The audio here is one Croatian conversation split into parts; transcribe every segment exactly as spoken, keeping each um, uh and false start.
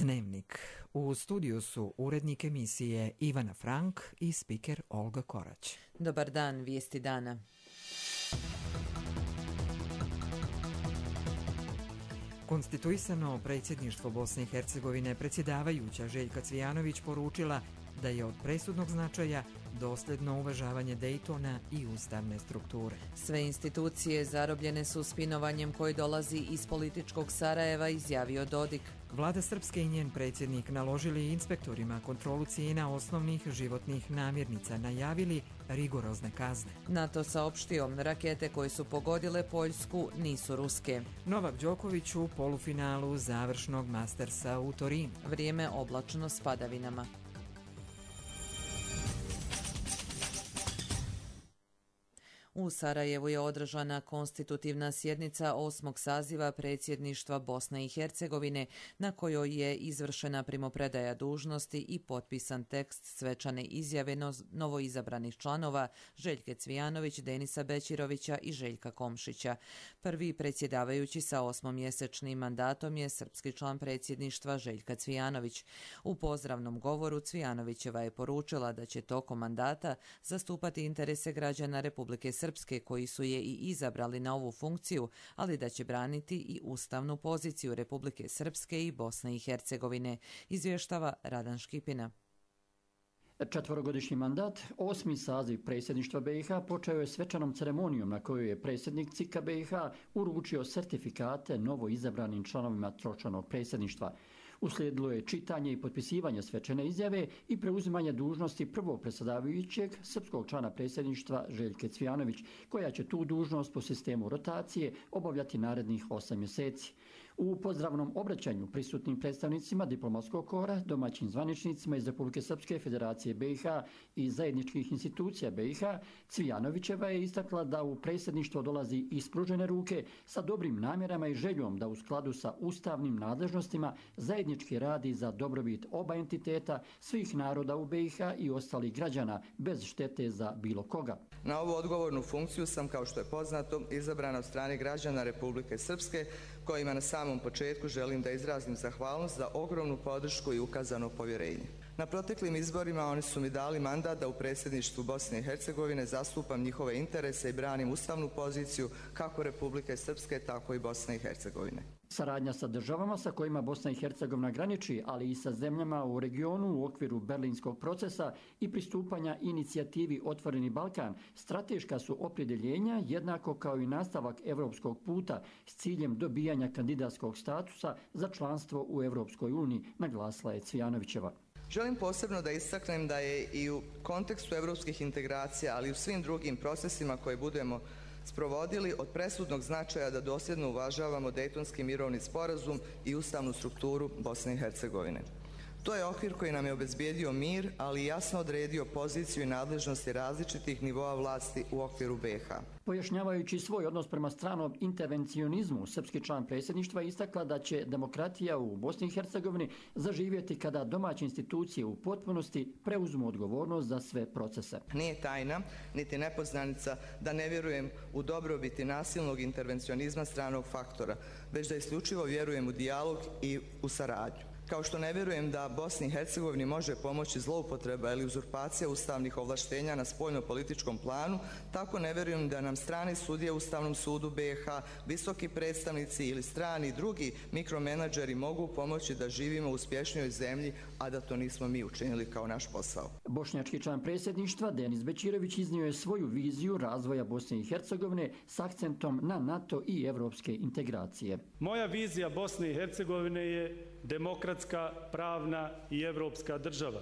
Dnevnik. U studiju su urednik emisije Ivana Frank i spiker Olga Korać. Dobar dan, vijesti dana. Konstituisano predsjedništvo Bosne i Hercegovine predsjedavajuća Željka Cvijanović poručila da je od presudnog značaja dosljedno uvažavanje Dejtona i ustavne strukture. Sve institucije zarobljene su spinovanjem koji dolazi iz političkog Sarajeva, izjavio Dodik. Vlada Srpske i njen predsjednik naložili inspektorima kontrolu cijena osnovnih životnih namirnica, najavili rigorozne kazne. NATO saopštio, rakete koje su pogodile Poljsku nisu ruske. Novak Đoković u polufinalu završnog Mastersa u Torinu. Vrijeme oblačno s padavinama. U Sarajevu je održana konstitutivna sjednica osmog saziva predsjedništva Bosne i Hercegovine, na kojoj je izvršena primopredaja dužnosti i potpisan tekst svečane izjave novoizabranih članova Željke Cvijanović, Denisa Bećirovića i Željka Komšića. Prvi predsjedavajući sa osmomjesečnim mandatom je srpski član predsjedništva Željka Cvijanović. U pozdravnom govoru Cvijanovićeva je poručila da će tokom mandata zastupati interese građana Republike Srpske Srpske koji su je i izabrali na ovu funkciju, ali da će braniti i ustavnu poziciju Republike Srpske i Bosne i Hercegovine, izvještava Radan Škipina. Četvorogodišnji mandat, osmi saziv predsjedništva B i H počeo je svečanom ceremonijom na kojoj je predsjednik C I K-a B i H uručio sertifikate novo izabranim članovima tročlanog predsjedništva. Uslijedilo je čitanje i potpisivanje svečane izjave i preuzimanje dužnosti prvog predsjedavajućeg srpskog člana predsjedništva Željke Cvijanović, koja će tu dužnost po sistemu rotacije obavljati narednih osam mjeseci. U pozdravnom obraćanju prisutnim predstavnicima diplomatskog kora, domaćim zvaničnicima iz Republike Srpske, Federacije B i H i zajedničkih institucija B i H, Cvijanovićeva je istakla da u predsjedništvo dolazi ispružene ruke sa dobrim namjerama i željom da u skladu sa ustavnim nadležnostima zajednički radi za dobrobit oba entiteta, svih naroda u B i H i ostalih građana bez štete za bilo koga. Na ovu odgovornu funkciju sam, kao što je poznato, izabrana od strane građana Republike Srpske, kojima na samom početku želim da izrazim zahvalnost za ogromnu podršku i ukazano povjerenje. Na proteklim izborima oni su mi dali mandat da u predsjedništvu Bosne i Hercegovine zastupam njihove interese i branim ustavnu poziciju kako Republike Srpske, tako i Bosne i Hercegovine. Saradnja sa državama sa kojima Bosna i Hercegovina graniči, ali i sa zemljama u regionu u okviru berlinskog procesa i pristupanja inicijativi Otvoreni Balkan strateška su opredjeljenja, jednako kao i nastavak evropskog puta s ciljem dobijanja kandidatskog statusa za članstvo u Evropskoj uniji, naglasila je Cvijanovićeva. Želim posebno da istaknem da je i u kontekstu evropskih integracija, ali i u svim drugim procesima koje budemo sprovodili od presudnog značaja da dosljedno uvažavamo Dejtonski mirovni sporazum i ustavnu strukturu Bosne i Hercegovine. To je okvir koji nam je obezbijedio mir, ali i jasno odredio poziciju i nadležnosti različitih nivoa vlasti u okviru B i H. Pojašnjavajući svoj odnos prema stranom intervencionizmu, srpski član predsjedništva istakla da će demokratija u Bosni i Hercegovini zaživjeti kada domaće institucije u potpunosti preuzmu odgovornost za sve procese. Nije tajna, niti nepoznanica da ne vjerujem u dobrobiti nasilnog intervencionizma stranog faktora, već da isključivo vjerujem u dijalog i u saradnju. Kao što ne vjerujem da Bosni i Hercegovini može pomoći zloupotreba ili uzurpacija ustavnih ovlaštenja na spoljno-političkom planu, tako ne vjerujem da nam strani sudije u Ustavnom sudu B i H, visoki predstavnici ili strani drugi mikromenadžeri mogu pomoći da živimo u uspješnijoj zemlji, a da to nismo mi učinili kao naš posao. Bošnjački član predsjedništva Denis Bećirović iznio je svoju viziju razvoja Bosne i Hercegovine s akcentom na NATO i evropske integracije. Moja vizija Bosne i Hercegovine je demokratska, pravna i evropska država.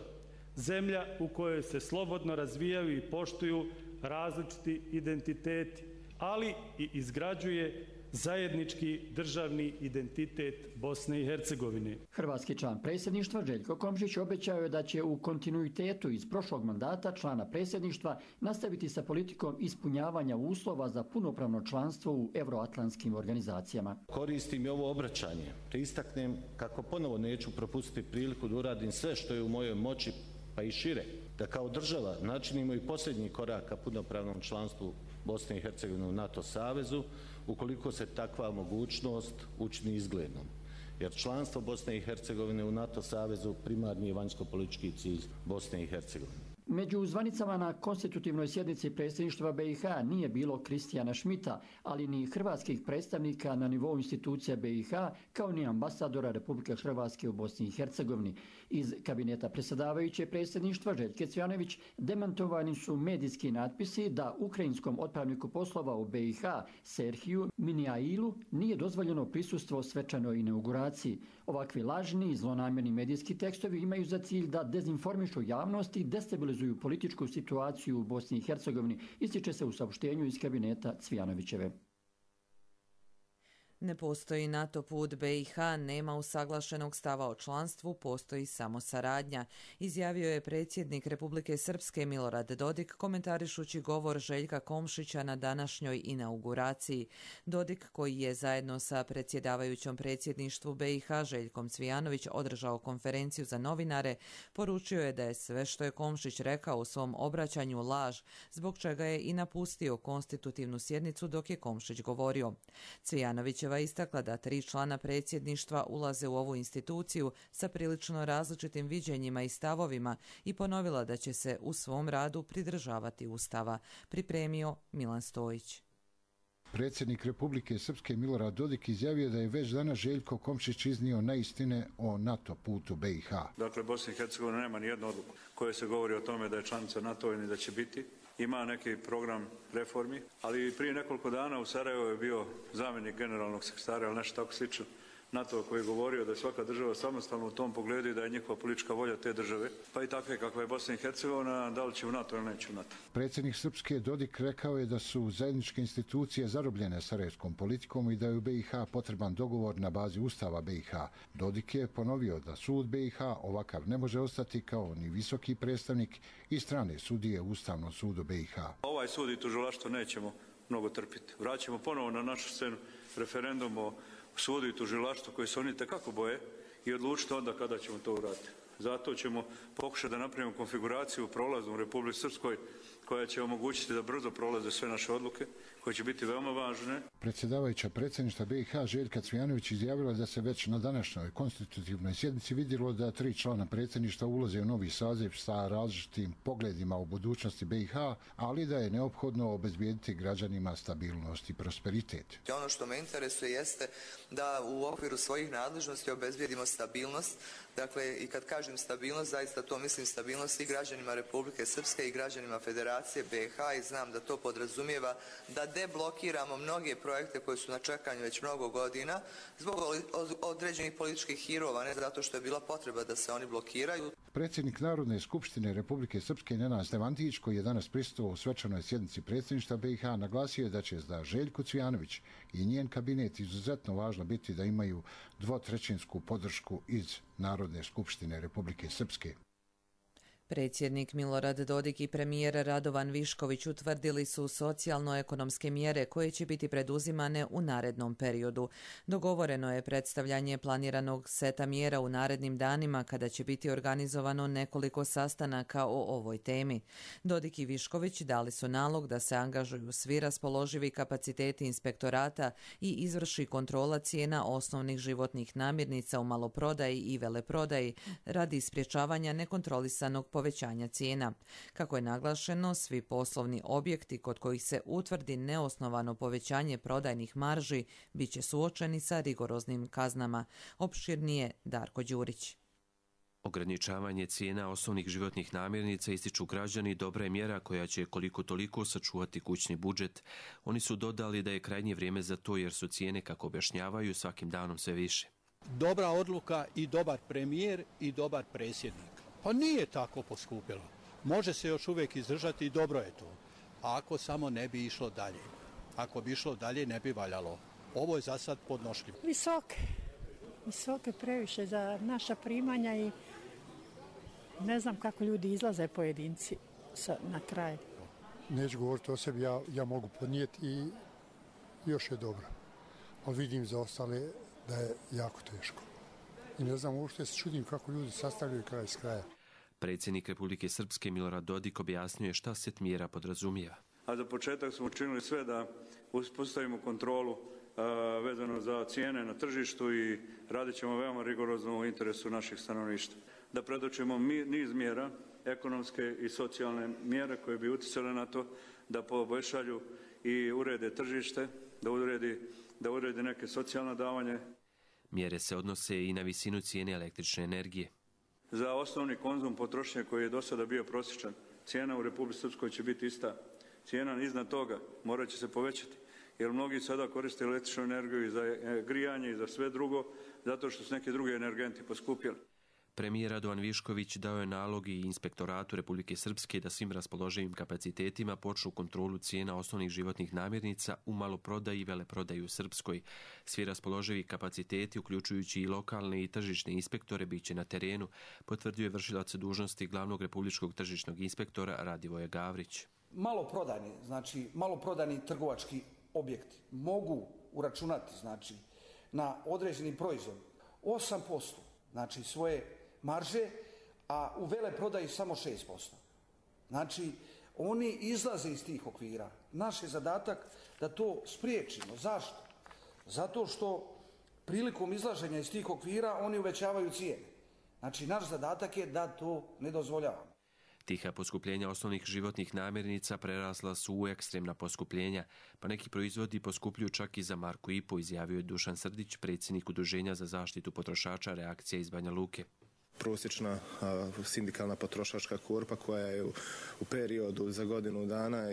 Zemlja u kojoj se slobodno razvijaju i poštuju različiti identiteti, ali i izgrađuje zajednički državni identitet Bosne i Hercegovine. Hrvatski član predsjedništva Željko Komšić obećao je da će u kontinuitetu iz prošlog mandata člana predsjedništva nastaviti sa politikom ispunjavanja uslova za punopravno članstvo u euroatlantskim organizacijama. Koristim i ovo obraćanje, te istaknem kako ponovo neću propustiti priliku da uradim sve što je u mojoj moći, pa i šire, da kao država načinimo i posljednji korak ka punopravnom članstvu Bosne i Hercegovine u NATO savezu, ukoliko se takva mogućnost učini izglednom. jer članstvo Bosne i Hercegovine u NATO savezu primarni je vanjsko-politički cilj Bosne i Hercegovine. Među zvanicama na konstitutivnoj sjednici predsjedništva B i H nije bilo Kristijana Šmita, ali ni hrvatskih predstavnika na nivou institucija B i H, kao ni ambasadora Republike Hrvatske u Bosni i Hercegovini. Iz kabineta predsjedavajuće predsjedništva Željke Cvijanović demantovani su medijski natpisi da ukrajinskom otpravniku poslova u B i H Serhiju Minjailu nije dozvoljeno prisustvo svečanoj inauguraciji. Ovakvi lažni i zlonamjerni medijski tekstovi imaju za cilj da dezinformišu javnost i destabilizuju političku situaciju u Bosni i Hercegovini, ističe se u saopštenju iz kabineta Cvijanovićeve. Ne postoji NATO put, B i H nema usaglašenog stava o članstvu, postoji samo saradnja, izjavio je predsjednik Republike Srpske Milorad Dodik komentarišući govor Željka Komšića na današnjoj inauguraciji. Dodik, koji je zajedno sa predsjedavajućom predsjedništvu B i H Željkom Cvijanović održao konferenciju za novinare, poručio je da je sve što je Komšić rekao u svom obraćanju laž, zbog čega je i napustio konstitutivnu sjednicu dok je Komšić govorio. Cvijanović istakla da tri člana predsjedništva ulaze u ovu instituciju sa prilično različitim viđenjima i stavovima i ponovila da će se u svom radu pridržavati Ustava, pripremio Milan Stojić. Predsjednik Republike Srpske Milorad Dodik izjavio da je već danas Željko Komšić iznio neistine o NATO putu B i H. Dakle, Bosna i Hercegovina nema ni jednu odluku koja se govori o tome da je članica NATO i da će biti. Ima neki program reformi, ali prije nekoliko dana u Sarajevu je bio zamjenik generalnog sekretara, ali nešto tako slično, NATO koji je govorio da je svaka država samostalna u tom pogledu i da je njihova politička volja te države, pa i takve kakva je Bosna i Hercegovina, da li će u NATO ili neće u NATO. Predsjednik Srpske Dodik rekao je da su zajedničke institucije zarobljene sarajevskom politikom i da je u B i H potreban dogovor na bazi Ustava B i H. Dodik je ponovio da sud B i H ovakav ne može ostati kao ni visoki predstavnik i strane sudije u Ustavnom sudu B i H. Ovaj sud i tužilaštvo nećemo mnogo trpiti. Vraćamo ponovo na našu scenu referendum o sudu i tužilaštvu koji se oni tekako boje i odlučiti onda kada ćemo to uraditi. Zato ćemo pokušati da napravimo konfiguraciju prolaznu u Republici Srpskoj koja će omogućiti da brzo prolaze sve naše odluke, koje će biti veoma važne. Predsjedavajuća predsjedništva B i H Željka Cvijanović izjavila da se već na današnjoj konstitutivnoj sjednici vidjelo da tri člana predsjedništva ulaze u novi saziv sa različitim pogledima u budućnosti B i H, ali da je neophodno obezbijediti građanima stabilnost i prosperitet. Ono što me interesuje jeste da u okviru svojih nadležnosti obezbijedimo stabilnost. Dakle, i kad kažem stabilnost, zaista to mislim stabilnost i građanima Republike Srpske i građanima Federacije B i H i znam da to podrazumijeva da deblokiramo mnoge projekte koji su na čekanju već mnogo godina zbog određenih političkih hirova, ne zato što je bila potreba da se oni blokiraju. Predsjednik Narodne skupštine Republike Srpske Nenad Stevantić, koji je danas prisustvovao u svečanoj sjednici predsjedništva B i H, naglasio je da će za Željku Cvijanović i njen kabinet izuzetno važno biti da imaju dvotrećinsku podršku iz Narodne skupštine Republike Srpske. Predsjednik Milorad Dodik i premijer Radovan Višković utvrdili su socijalno-ekonomske mjere koje će biti preduzimane u narednom periodu. Dogovoreno je predstavljanje planiranog seta mjera u narednim danima kada će biti organizovano nekoliko sastanaka o ovoj temi. Dodik i Višković dali su nalog da se angažuju svi raspoloživi kapaciteti inspektorata i izvrši kontrola cijena osnovnih životnih namirnica u maloprodaji i veleprodaji radi sprječavanja nekontrolisanog povećanja cijena. Kako je naglašeno, svi poslovni objekti kod kojih se utvrdi neosnovano povećanje prodajnih marži bit će suočeni sa rigoroznim kaznama. Opširnije Darko Đurić. Ograničavanje cijena osnovnih životnih namirnica, ističu građani, dobra je mjera koja će koliko toliko sačuvati kućni budžet. Oni su dodali da je krajnje vrijeme za to jer su cijene, kako objašnjavaju, svakim danom sve više. Dobra odluka i dobar premijer i dobar predsjednik. Pa nije tako poskupilo. Može se još uvijek izdržati i dobro je to. Ako samo ne bi išlo dalje. Ako bi išlo dalje ne bi valjalo. Ovo je za sad podnošljivo. Visoke. Visoke previše za naša primanja i ne znam kako ljudi izlaze pojedinci sa, na kraj. Neću govoriti o sebi, ja, ja mogu podnijeti i još je dobro. Ali vidim za ostale da je jako teško. I ne znam uopšte se čudim kako ljudi sastavljaju kraj s kraja. Predsjednik Republike Srpske Milorad Dodik objasnio je šta set mjera podrazumijeva. A za početak smo učinili sve da uspostavimo kontrolu vezano za cijene na tržištu i radit ćemo veoma rigorozno u interesu naših stanovništva. Da predočimo niz mjera, ekonomske i socijalne mjere koje bi utjecale na to da poboljšaju i urede tržište, da uredi, da uredi neke socijalne davanje. Mjere se odnose i na visinu cijene električne energije. Za osnovni konzum potrošnje koji je do sada bio prosječan, cijena u Republici Srpskoj će biti ista. Cijena iznad toga morat će se povećati, jer mnogi sada koriste električnu energiju i za grijanje i za sve drugo, zato što su neki drugi energenti poskupjeli. Premijer Radovan Višković dao je nalog i Inspektoratu Republike Srpske da svim raspoloživim kapacitetima počnu kontrolu cijena osnovnih životnih namirnica u maloprodaji i veleprodaji u Srpskoj. Svi raspoloživi kapaciteti, uključujući i lokalne i tržišne inspektore, bit će na terenu, potvrdio je vršilac dužnosti glavnog republičkog tržišnog inspektora Radivoje Gavrić. Maloprodajni, znači maloprodajni trgovački objekti mogu uračunati, znači, na određeni proizvod osam posto, znači svoje marže, a u veleprodaji samo šest posto. Znači, oni izlaze iz tih okvira. Naš je zadatak da to spriječimo. Zašto? Zato što prilikom izlaženja iz tih okvira oni uvećavaju cijene. Znači, naš zadatak je da to ne dozvoljavamo. Tiha poskupljenja osnovnih životnih namirnica prerasla su u ekstremna poskupljenja, pa neki proizvodi poskupljuju čak i za marku i po, izjavio je Dušan Srdić, predsjednik Udruženja za zaštitu potrošača Reakcija iz Banja Luke. Prosječna a, sindikalna potrošačka korpa koja je u, u periodu za godinu dana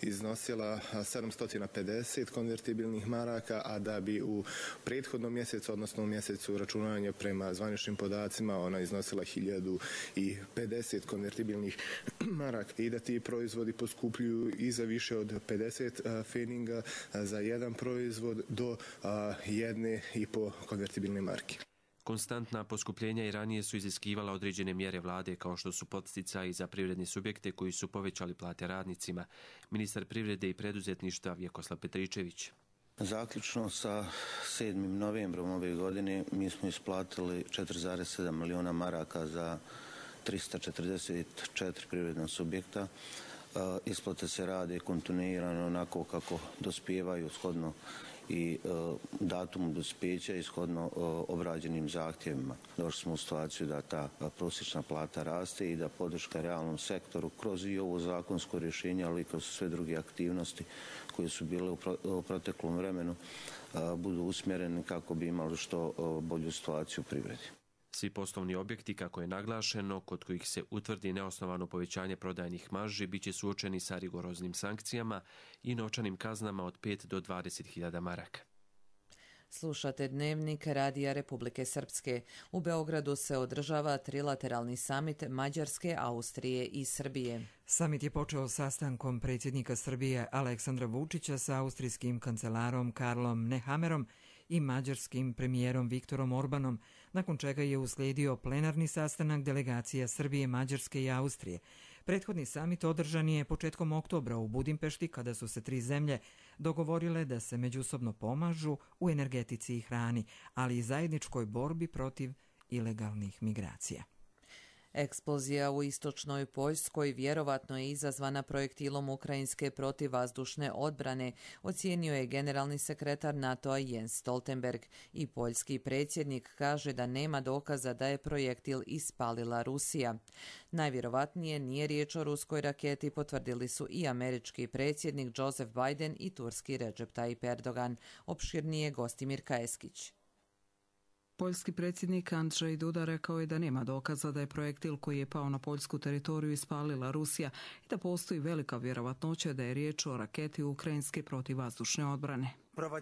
iznosila sedamsto pedeset konvertibilnih maraka, a da bi u prethodnom mjesecu, odnosno u mjesecu računanja prema zvaničnim podacima, ona iznosila hiljadu pedeset konvertibilnih maraka i da ti proizvodi poskupljuju i za više od pedeset feninga za jedan proizvod do a, jedne i po konvertibilne marke. Konstantna poskupljenja i ranije su iziskivala određene mjere vlade, kao što su podsticaji za privredne subjekte koji su povećali plate radnicima. Ministar privrede i preduzetništva Vjekoslav Petričević. Zaključno sa sedmim novembrom ove godine mi smo isplatili četiri zarez sedam miliona maraka za trista četrdeset četiri privredna subjekta. Isplate se rade kontinuirano onako kako dospijevaju shodno i e, datumu dospijeća ishodno e, obrađenim zahtjevima. Došli smo u situaciju da ta prosječna plata raste i da podrška realnom sektoru kroz i ovo zakonsko rješenje, ali i kroz sve druge aktivnosti koje su bile u, pro, u proteklom vremenu e, budu usmjereni kako bi imali što e, bolju situaciju u privredi. Svi poslovni objekti, kako je naglašeno, kod kojih se utvrdi neosnovano povećanje prodajnih marži, bit će suočeni sa rigoroznim sankcijama i novčanim kaznama od pet do dvadeset hiljada maraka. Slušate Dnevnik Radija Republike Srpske. U Beogradu se održava trilateralni samit Mađarske, Austrije i Srbije. Samit je počeo sastankom predsjednika Srbije Aleksandra Vučića sa austrijskim kancelarom Karlom Nehammerom i mađarskim premijerom Viktorom Orbanom, nakon čega je uslijedio plenarni sastanak delegacija Srbije, Mađarske i Austrije. Prethodni samit održan je početkom oktobra u Budimpešti, kada su se tri zemlje dogovorile da se međusobno pomažu u energetici i hrani, ali i zajedničkoj borbi protiv ilegalnih migracija. Eksplozija u istočnoj Poljskoj vjerovatno je izazvana projektilom ukrajinske protivvazdušne odbrane, ocijenio je generalni sekretar NATO-a Jens Stoltenberg, i poljski predsjednik kaže da nema dokaza da je projektil ispalila Rusija. Najvjerovatnije nije riječ o ruskoj raketi, potvrdili su i američki predsjednik Joseph Biden i turski Recep Tayyip Erdogan. Opširnije Gostimir Kajeskić. Poljski predsjednik Andrzej Duda rekao je da nema dokaza da je projektil koji je pao na poljsku teritoriju ispalila Rusija i da postoji velika vjerovatnoća da je riječ o raketi ukrajinske protivvazdušne odbrane.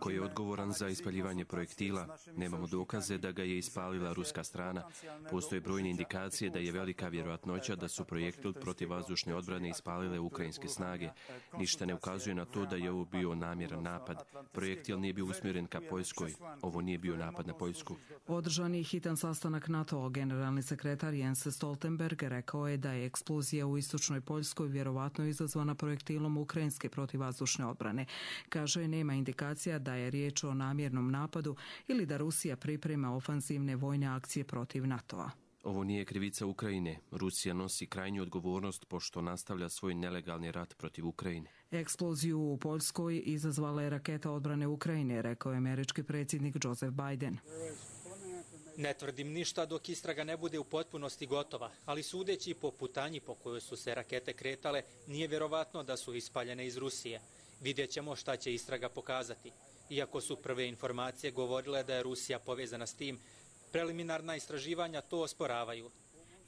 Ko je odgovoran za ispaljivanje projektila? Nemamo dokaze da ga je ispalila ruska strana. Postoje brojne indikacije da je velika vjerojatnoća da su projektil protivvazdušne odbrane ispalile ukrajinske snage. Ništa ne ukazuje na to da je ovo bio namjeran napad. Projektil nije bio usmjeren ka Poljskoj. Ovo nije bio napad na Poljsku. Održan je hitan sastanak NATO-a. Generalni sekretar Jens Stoltenberg rekao je da je eksplozija u istočnoj Poljskoj vjerovatno izazvana projektilom ukrajinske protivvazdušne odbrane. Kaže, nema indikacija da je riječ o namjernom napadu ili da Rusija priprema ofanzivne vojne akcije protiv NATO-a. Ovo nije krivica Ukrajine. Rusija nosi krajnju odgovornost pošto nastavlja svoj nelegalni rat protiv Ukrajine. Eksploziju u Poljskoj izazvala je raketa odbrane Ukrajine, rekao je američki predsjednik Joseph Biden. Ne tvrdim ništa dok istraga ne bude u potpunosti gotova, ali sudeći po putanji po kojoj su se rakete kretale, nije vjerovatno da su ispaljene iz Rusije. Vidjet ćemo šta će istraga pokazati. Iako su prve informacije govorile da je Rusija povezana s tim, preliminarna istraživanja to osporavaju.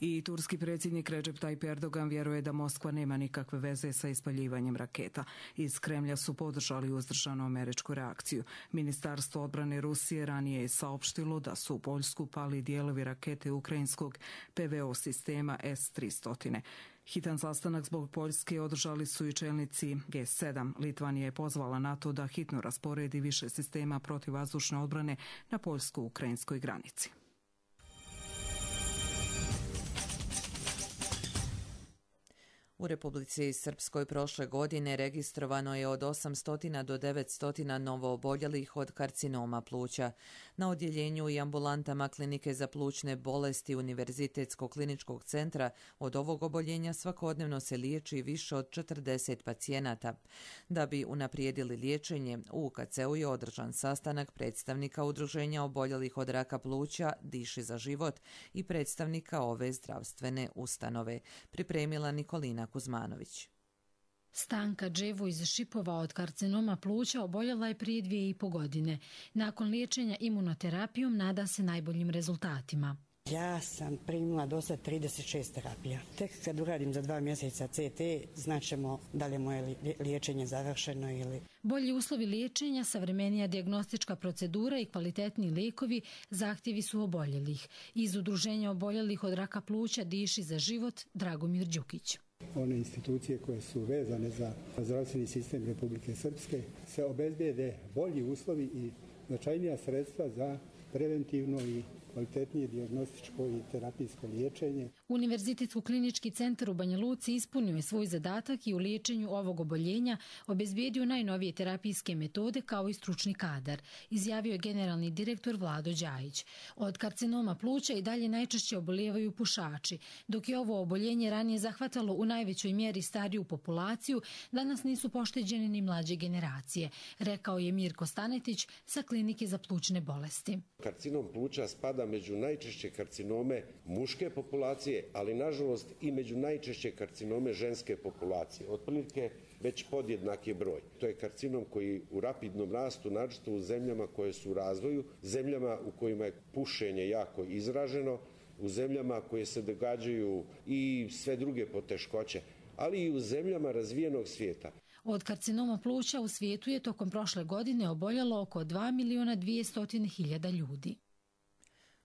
I turski predsjednik Recep Tayyip Erdogan vjeruje da Moskva nema nikakve veze sa ispaljivanjem raketa. Iz Kremlja su podržali uzdržanu američku reakciju. Ministarstvo odbrane Rusije ranije je saopštilo da su u Poljsku pali dijelovi rakete ukrajinskog P V O sistema S tristo. Hitan sastanak zbog Poljske održali su i čelnici G sedam. Litvanija je pozvala NATO da hitno rasporedi više sistema protivvazdušne odbrane na poljsko-ukrajinskoj granici. U Republici Srpskoj prošle godine registrovano je od osamsto do devetsto novooboljelih od karcinoma pluća. Na odjeljenju i ambulantama Klinike za plućne bolesti Univerzitetskog kliničkog centra od ovog oboljenja svakodnevno se liječi više od četrdeset pacijenata. Da bi unaprijedili liječenje, u U K C-u je održan sastanak predstavnika Udruženja oboljelih od raka pluća Diši za život i predstavnika ove zdravstvene ustanove. Pripremila Nikolina Kuzmanović. Stanka Dževo iz Šipova od karcinoma pluća oboljela je prije dvije i po godine. Nakon liječenja imunoterapijom nada se najboljim rezultatima. Ja sam primila do sad trideset šest terapija. Tek kad uradim za dva mjeseca C T, znaćemo da li je moje liječenje završeno ili... Bolji uslovi liječenja, savremenija dijagnostička procedura i kvalitetni lijekovi zahtjevi su oboljelih. Iz Udruženja oboljelih od raka pluća Diši za život Dragomir Đukić. One institucije koje su vezane za zdravstveni sistem Republike Srpske se obezbijede bolji uslovi i značajnija sredstva za preventivno i kvalitetnije dijagnostičko i terapijsko liječenje. Univerzitetski klinički centar u Banja Luci ispunio je svoj zadatak i u liječenju ovog oboljenja obezbijedio najnovije terapijske metode kao i stručni kadar, izjavio je generalni direktor Vlado Đajić. Od karcinoma pluća i dalje najčešće obolijevaju pušači. Dok je ovo oboljenje ranije zahvatalo u najvećoj mjeri stariju populaciju, danas nisu pošteđene ni mlađe generacije, rekao je Mirko Stanetić sa Klinike za plućne bolesti. Karcinom pluća spada među najčešće karcinome muške populacije, ali nažalost i među najčešće karcinome ženske populacije. Otprilike već podjednak je broj. To je karcinom koji u rapidnom rastu, naročito u zemljama koje su u razvoju, zemljama u kojima je pušenje jako izraženo, u zemljama koje se događaju i sve druge poteškoće, ali i u zemljama razvijenog svijeta. Od karcinoma pluća u svijetu je tokom prošle godine oboljelo oko dva milijuna dvjesto hiljada ljudi.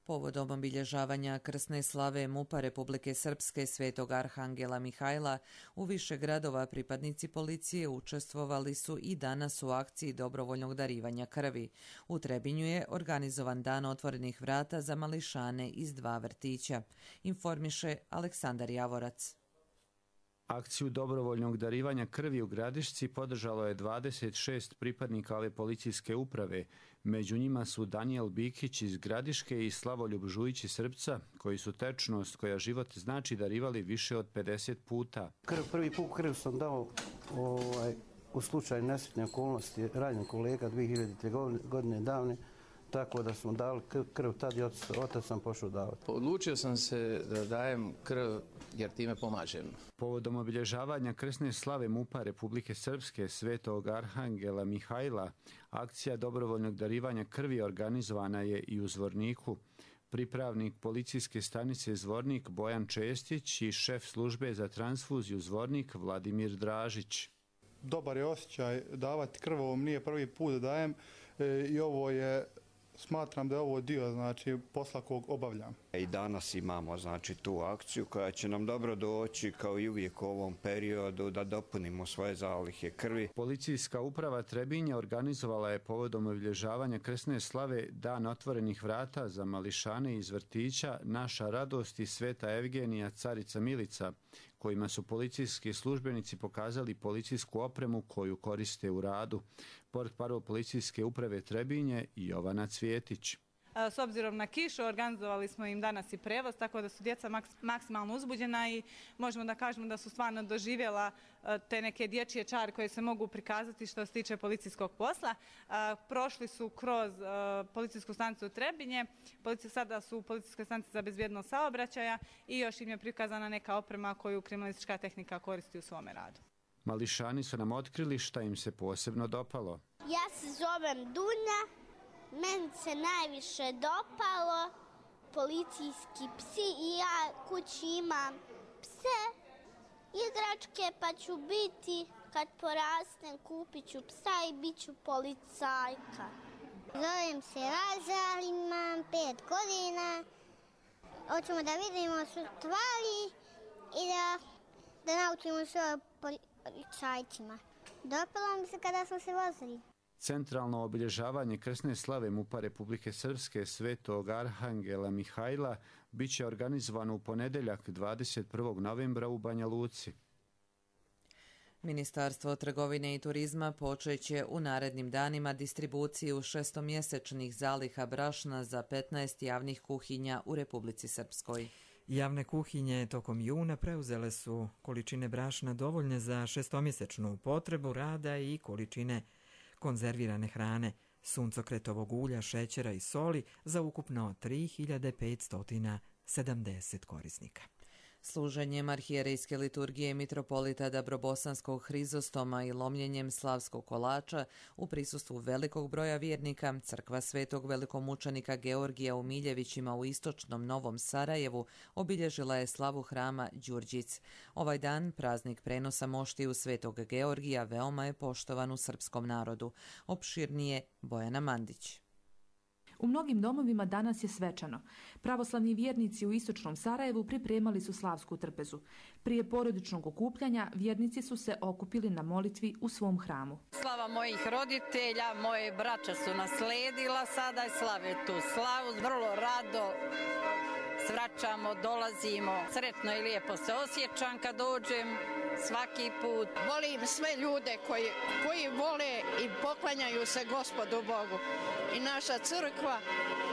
Povodom obilježavanja krsne slave MUP-a Republike Srpske Svetog Arhangela Mihajla u više gradova pripadnici policije učestvovali su i danas u akciji dobrovoljnog darivanja krvi. U Trebinju je organizovan dan otvorenih vrata za mališane iz dva vrtića, informiše Aleksandar Javorac. Akciju dobrovoljnog darivanja krvi u Gradišci podržalo je dvadeset šest pripadnika ove policijske uprave. Među njima su Danijel Bikić iz Gradiške i Slavoljub Žujić iz Srpca, koji su tečnost koja život znači darivali više od pedeset puta. Krv, prvi put krv sam dao ovaj, u slučaju nesretne okolnosti ranjen kolega dvije hiljadite. godine davne, tako da smo dali krv, tad i otac, otac sam pošao davati. Odlučio sam se da dajem krv jer time pomažem. Povodom obilježavanja krsne slave MUP-a Republike Srpske Svetog Arhangela Mihajla, akcija dobrovoljnog darivanja krvi organizovana je i u Zvorniku. Pripravnik policijske stanice Zvornik Bojan Čestić i šef službe za transfuziju Zvornik Vladimir Dražić. Dobar je osjećaj davati krv, ovo nije prvi put da dajem e, i ovo je, smatram da je ovo dio znači, posla kog obavljam. I danas imamo znači, tu akciju koja će nam dobro doći kao i uvijek u ovom periodu da dopunimo svoje zalihe krvi. Policijska uprava Trebinja organizovala je povodom obilježavanja krsne slave Dan otvorenih vrata za mališane iz vrtića Naša radost i Sveta Evgenija Carica Milica, kojima su policijski službenici pokazali policijsku opremu koju koriste u radu. Portparol policijske uprave Trebinje Jovana Cvjetić. S obzirom na kišu, organizovali smo im danas i prevoz, tako da su djeca maksimalno uzbuđena i možemo da kažemo da su stvarno doživjela te neke dječje čari koje se mogu prikazati što se tiče policijskog posla. Prošli su kroz policijsku stanicu Trebinje, sada su u policijskoj stanici za bezbjednost saobraćaja i još im je prikazana neka oprema koju kriminalistička tehnika koristi u svome radu. Mališani su nam otkrili šta im se posebno dopalo. Ja se zovem Dunja, meni se najviše dopalo policijski psi i ja kući imam pse, igračke, pa ću biti, kad porastem, kupit ću psa i bit ću policajka. Zovem se Raza, imam pet godina, hoćemo da vidimo stvari i da, da naučimo sve o policajcima. Dopalo mi se kada smo se vozili. Centralno obilježavanje krsne slave MUP-a Republike Srpske Svetog Arhangela Mihajla bit će organizovano u ponedjeljak dvadeset prvog novembra u Banja Luci. Ministarstvo trgovine i turizma počeće u narednim danima distribuciju šestomjesečnih zaliha brašna za petnaest javnih kuhinja u Republici Srpskoj. Javne kuhinje tokom juna preuzele su količine brašna dovoljne za šestomjesečnu potrebu rada i količine konzervirane hrane, suncokretovog ulja, šećera i soli za ukupno tri hiljade petsto sedamdeset korisnika. Služenjem arhijerejske liturgije mitropolita Dabrobosanskog Hrizostoma i lomljenjem slavskog kolača u prisustvu velikog broja vjernika, crkva Svetog velikomučenika Georgija u Miljevićima u istočnom Novom Sarajevu obilježila je slavu hrama Đurđic. Ovaj dan, praznik prenosa moštiju Svetog Georgija, veoma je poštovan u srpskom narodu. Opširnije Bojana Mandić. U mnogim domovima danas je svečano. Pravoslavni vjernici u istočnom Sarajevu pripremali su slavsku trpezu. Prije porodičnog okupljanja vjernici su se okupili na molitvi u svom hramu. Slava mojih roditelja, moje braća su nasledila sada i slave tu slavu. Vrlo rado svraćamo, dolazimo. Sretno i lijepo se osjećam kad dođem. Svaki put. Volim sve ljude koji, koji vole i poklanjaju se Gospodu Bogu. I naša crkva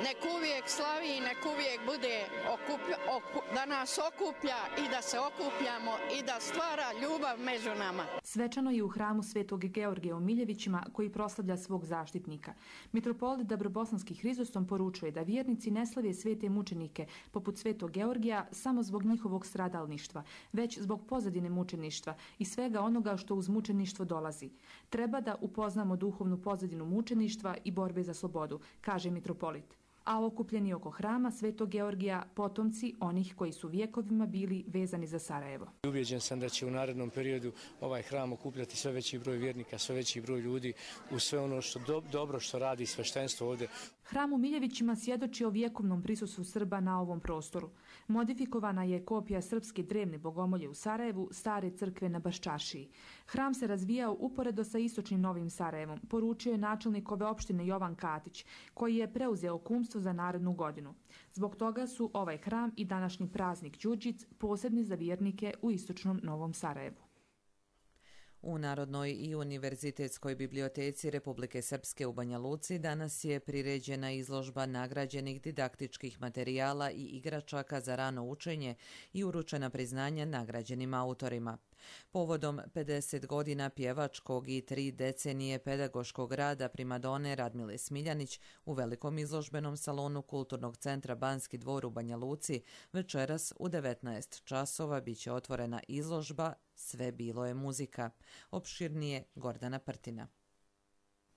nek uvijek slavi i nek uvijek bude okuplja, oku, da nas okuplja i da se okupljamo i da stvara ljubav među nama. Svečano je u hramu Svetog Georgija u Miljevićima koji proslavlja svog zaštitnika. Mitropolit Dabrobosanski Hrizostom poručuje da vjernici ne slave svete mučenike poput Svetog Georgija samo zbog njihovog stradalništva, već zbog pozadine mučeništva i svega onoga što uz mučeništvo dolazi. Treba da upoznamo duhovnu pozadinu mučeništva i borbe za slobodu, kaže mitropolit. A okupljeni oko hrama Svetog Georgija potomci onih koji su vjekovima bili vezani za Sarajevo. Ubijeđen sam da će u narednom periodu ovaj hram okupljati sve veći broj vjernika, sve veći broj ljudi u sve ono što do, dobro što radi sveštenstvo ovdje. Hram u Miljevićima svjedoči o vjekovnom prisustvu Srba na ovom prostoru. Modifikovana je kopija srpske drevne bogomolje u Sarajevu, stare crkve na Baščaršiji. Hram se razvijao uporedo sa istočnim Novim Sarajevom, poručio je načelnik ove opštine Jovan Katić, koji je preuzeo kumstvo za narednu godinu. Zbog toga su ovaj hram i današnji praznik Đurđic posebni za vjernike u istočnom Novom Sarajevu. U Narodnoj i univerzitetskoj biblioteci Republike Srpske u Banja Luci danas je priređena izložba nagrađenih didaktičkih materijala i igračaka za rano učenje i uručena priznanja nagrađenim autorima. Povodom pedeset godina pjevačkog i tri decenije pedagoškog rada primadone Radmile Smiljanić u velikom izložbenom salonu Kulturnog centra Banski dvor u Banja Luci večeras u devetnaest časova biće otvorena izložba Sve bilo je muzika. Opširnije Gordana Prtina.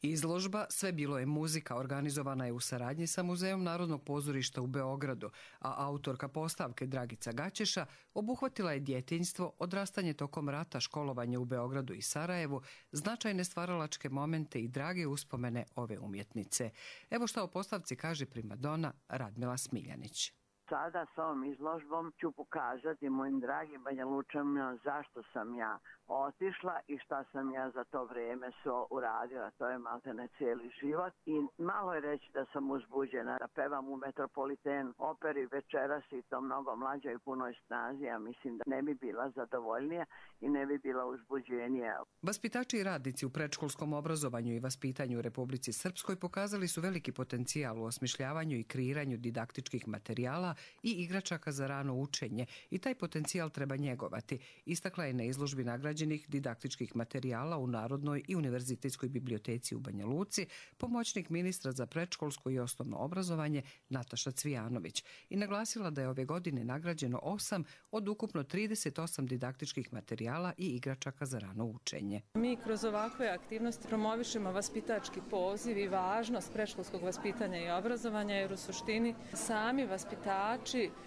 Izložba Sve bilo je muzika organizovana je u saradnji sa Muzejom Narodnog pozorišta u Beogradu, a autorka postavke Dragica Gaćeša obuhvatila je djetinjstvo, odrastanje tokom rata, školovanje u Beogradu i Sarajevu, značajne stvaralačke momente i drage uspomene ove umjetnice. Evo šta o postavci kaže primadona Radmila Smiljanić. Sada s ovom izložbom ću pokazati mojim dragim Banja Lučanima zašto sam ja otišla i šta sam ja za to vrijeme svo uradila. To je maltene cijeli život i malo je reći da sam uzbuđena, da pevam u Metropolitan operi večeras i to mnogo mlađa i punoj snazi, ja mislim da ne bi bila zadovoljnija i ne bi bila uzbuđenija. Vaspitači i radnici u predškolskom obrazovanju i vaspitanju u Republici Srpskoj pokazali su veliki potencijal u osmišljavanju i kreiranju didaktičkih materijala i igračaka za rano učenje i taj potencijal treba njegovati, istakla je na izložbi nagrađenih didaktičkih materijala u Narodnoj i univerzitetskoj biblioteci u Banja Luci pomoćnik ministra za predškolsko i osnovno obrazovanje Nataša Cvijanović i naglasila da je ove godine nagrađeno osam od ukupno trideset osam didaktičkih materijala i igračaka za rano učenje. Mi kroz ovakve aktivnosti promovišemo vaspitački poziv i važnost predškolskog vaspitanja i obrazovanja, jer u suštini sami vaspitači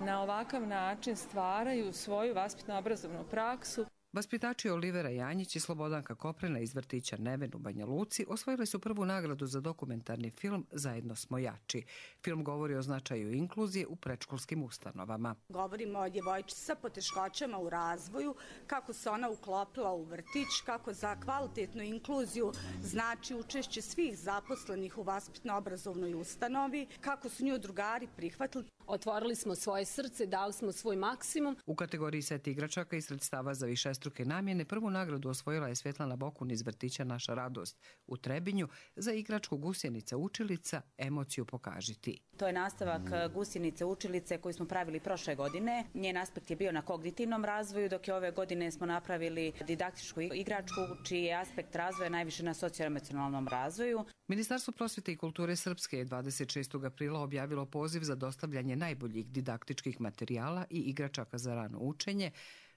na ovakav način stvaraju svoju vaspitno-obrazovnu praksu. Vaspitači Olivera Janjić i Slobodanka Koprena iz vrtića Neven u Banja Luci osvojili su prvu nagradu za dokumentarni film Zajedno smo jači. Film govori o značaju inkluzije u predškolskim ustanovama. Govorimo o djevojčici sa poteškoćama u razvoju, kako se ona uklopila u vrtić, kako za kvalitetnu inkluziju znači učešće svih zaposlenih u vaspitno-obrazovnoj ustanovi, kako su nju drugari prihvatili. Otvorili smo svoje srce, dali smo svoj maksimum. U kategoriji set igračaka i sredstava za višestruke namjene prvu nagradu osvojila je Svetlana Bokun iz vrtića Naša radost u Trebinju za igračku Gusjenica učilica Emociju pokaži ti. To je nastavak Gusjenice učilice koju smo pravili prošle godine. Njen aspekt je bio na kognitivnom razvoju, dok je ove godine smo napravili didaktičku igračku čiji je aspekt razvoja najviše na socioemocionalnom razvoju. Ministarstvo prosvjete i kulture Srpske je dvadeset šestog aprila objavilo poziv za dostavljanje najboljih didaktičkih materijala i igračaka za rano učenje,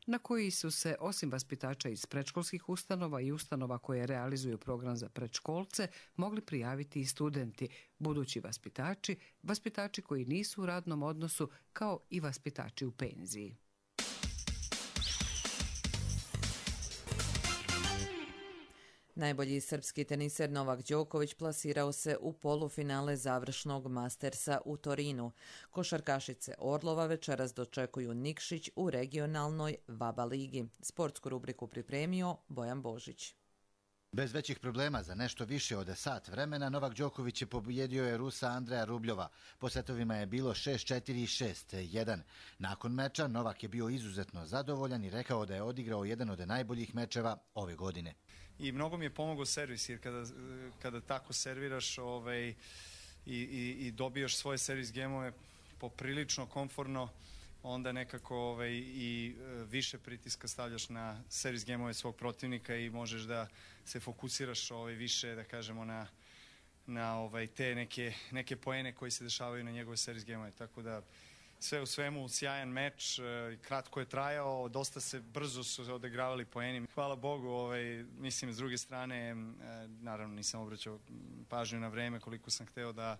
na koji su se, osim vaspitača iz predškolskih ustanova i ustanova koje realizuju program za predškolce, mogli prijaviti i studenti, budući vaspitači, vaspitači koji nisu u radnom odnosu, kao i vaspitači u penziji. Najbolji srpski teniser Novak Đoković plasirao se u polufinale završnog Mastersa u Torinu. Košarkašice Orlova večeras dočekuju Nikšić u regionalnoj VABA ligi. Sportsku rubriku pripremio Bojan Božić. Bez većih problema za nešto više od sat vremena Novak Đoković je pobjedio je Rusa Andreja Rubljova. Po setovima je bilo šest četiri i šest jedan. Nakon meča Novak je bio izuzetno zadovoljan i rekao da je odigrao jedan od najboljih mečeva ove godine. I mnogo mi je pomogao servis, jer kada, kada tako serviraš ovaj, i, i, i dobijaš svoje servis gemove poprilično komfortno, onda nekako ovaj, i više pritiska stavljaš na servis gemove svog protivnika i možeš da se fokusiraš ovaj, više, da kažemo, na, na ovaj, te neke, neke poene koji se dešavaju na njegove servis gemove. Tako da sve u svemu sjajan meč, kratko je trajao, dosta se brzo su odigravali poeni. Hvala Bogu, ovaj, mislim s druge strane, naravno nisam obraćao pažnju na vreme koliko sam hteo da,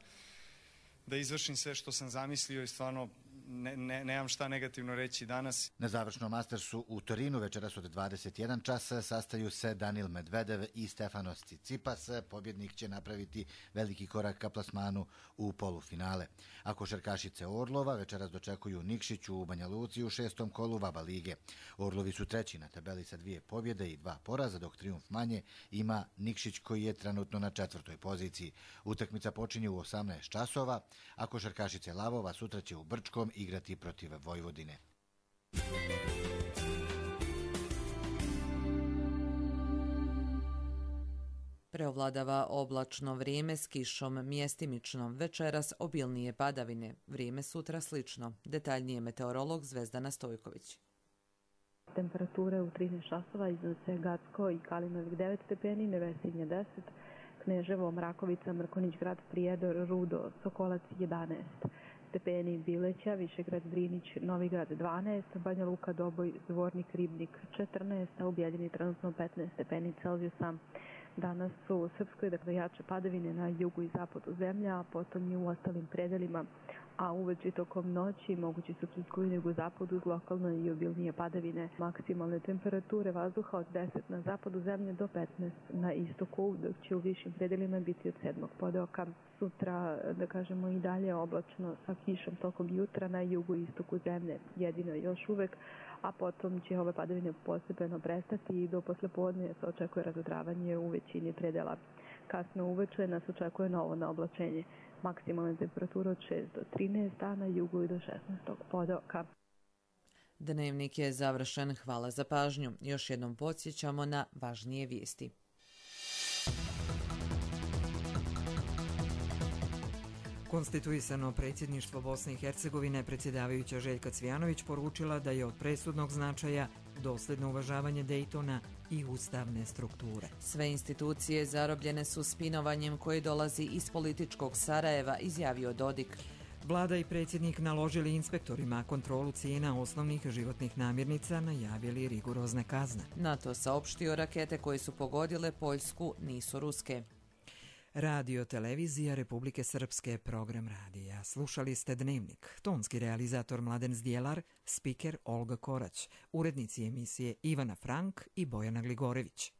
da izvršim sve što sam zamislio i stvarno ne, ne, nemam šta negativno reći danas. Na završnom Mastersu u Torinu večeras od dvadeset jedan časa sastaju se Danil Medvedev i Stefanos Tsitsipas. Pobjednik će napraviti veliki korak ka plasmanu u polufinale. A košarkašice Orlova večeras dočekuju Nikšić u Banja Luci u šestom kolu VABA lige. Orlovi su treći na tabeli sa dvije pobjede i dva poraza, dok trijumf manje ima Nikšić koji je trenutno na četvrtoj poziciji. Utakmica počinje u osamnaest časova, a košarkašice Lavova sutra će u Brčkom igrati protiv Vojvodine. Preovladava oblačno vrijeme s kišom mjestimično. Večeras obilnije padavine. Vrijeme sutra slično. Detaljnije meteorolog Zvezdana Stojković. Temperature u trinaest časova iznose Gacko i Kalinovik devet stepeni, Nevesinje deset, Kneževo, Mrakovica, Mrkonić grad, Prijedor, Rudo, Sokolac jedanaest stepeni, Bileća, Višegrad, Drinić, Novigrad dvanaest, Banja Luka, Doboj, Zvornik, Ribnik četrnaest, a u Bjeljini trenutno petnaest stepeni Celzijusa. Danas su u Srpskoj dakle jače padavine na jugu i zapadu zemlja, a potom i u ostalim predelima a uveče tokom noći mogući su pljuskovi jugozapadu uz lokalne i obilnije padavine. Maksimalne temperature vazduha od deset na zapadu zemlje do petnaest na istoku, dok će u višim predelima biti od sedmog podoka. Sutra, da kažemo, i dalje oblačno sa kišom tokom jutra na jugu i istoku zemlje, jedino još uvek, a potom će ove padavine postepeno prestati i do poslepodne se očekuje razodravanje u većini predela. Kasno uveče nas očekuje novo naoblačenje. Maksimalna temperatura od šest do trinaest, a na jugu i do šesnaest podoka. Dnevnik je završen. Hvala za pažnju. Još jednom podsjećamo na važnije vijesti. Konstituisano predsjedništvo Bosne i Hercegovine predsjedavajuća Željka Cvijanović poručila da je od presudnog značaja dosljedno uvažavanje Dejtona i ustavne strukture. Sve institucije zarobljene su spinovanjem koje dolazi iz političkog Sarajeva, izjavio Dodik. Vlada i predsjednik naložili inspektorima kontrolu cijena osnovnih životnih namirnica, najavili rigorozne kazne. NATO saopštio rakete koje su pogodile Poljsku nisu ruske. Radio Televizija Republike Srpske, program radija. Slušali ste Dnevnik. Tonski realizator Mladen Zdjelar, spiker Olga Korać, urednici emisije Ivana Frank i Bojana Gligorević.